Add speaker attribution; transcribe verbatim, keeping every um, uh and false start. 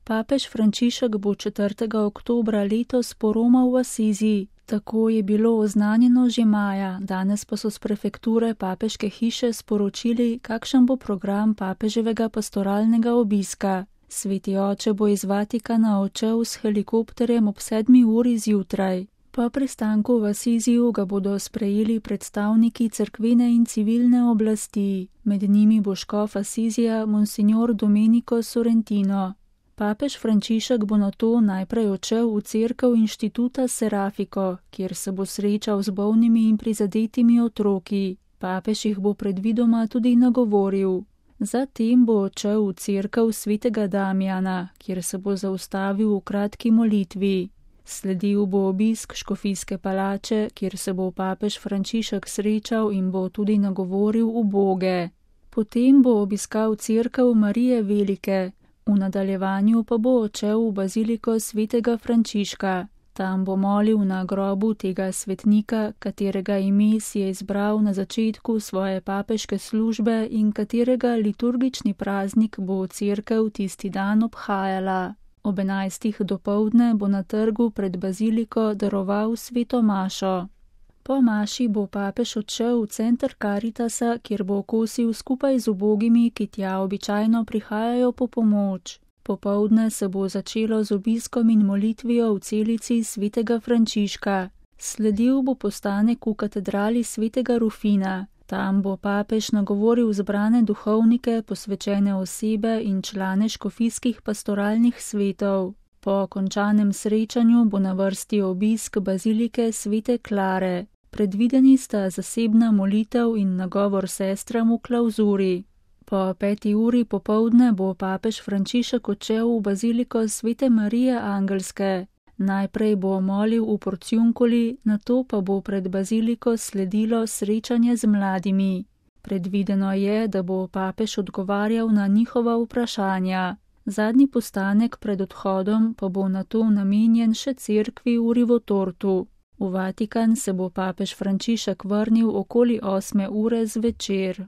Speaker 1: Papež Frančišek bo četrtega oktobra letos poromal v Asizi. Tako je bilo oznanjeno že maja, danes pa so s prefekture papeške hiše sporočili, kakšen bo program papeževega pastoralnega obiska. Sveti oče bo iz Vatikana odšel s helikopterjem ob sedmi uri zjutraj. Po pristanku v Asiziju ga bodo sprejeli predstavniki cerkvene in civilne oblasti, med njimi bo škof Asizija Monsignor Domenico Sorrentino. Papež Frančišek bo nato najprej odšel v cerkev inštituta Serafiko, kjer se bo srečal z bolnimi in prizadetimi otroki. Papež jih bo predvidoma tudi nagovoril. Zatem bo odšel v cerkev svetega Damjana, kjer se bo zaustavil v kratki molitvi. Sledil bo obisk škofijske palače, kjer se bo papež Frančišek srečal in bo tudi nagovoril uboge. Potem bo obiskal cerkev Marije Velike, v nadaljevanju pa bo odšel v baziliko svetega Frančiška. Tam bo molil na grobu tega svetnika, katerega ime si je izbral na začetku svoje papeške službe in katerega liturgični praznik bo cerkev tisti dan obhajala. Ob enajstih dopoldne bo na trgu pred baziliko daroval sveto mašo. Po maši bo papež odšel v center Karitasa, kjer bo kosil skupaj z ubogimi, ki tja običajno prihajajo po pomoč. Popoldne se bo začelo z obiskom in molitvijo v celici svetega Frančiška. Sledil bo postanek v katedrali svetega Rufina. Tam bo papež nagovoril zbrane duhovnike, posvečene osebe in člane škofijskih pastoralnih svetov. Po končanem srečanju bo na vrsti obisk bazilike svete Klare. Predvideni sta zasebna molitev in nagovor sestram v klavzuri. Po peti uri popoldne bo papež Frančišek odšel v baziliko svete Marije Angelske. Najprej bo molil v Porciunkuli, nato pa bo pred baziliko sledilo srečanje z mladimi. Predvideno je, da bo papež odgovarjal na njihova vprašanja. Zadnji postanek pred odhodom pa bo nato namenjen še cerkvi v Rivotortu. V Vatikan se bo papež Frančišek vrnil okoli osme ure zvečer.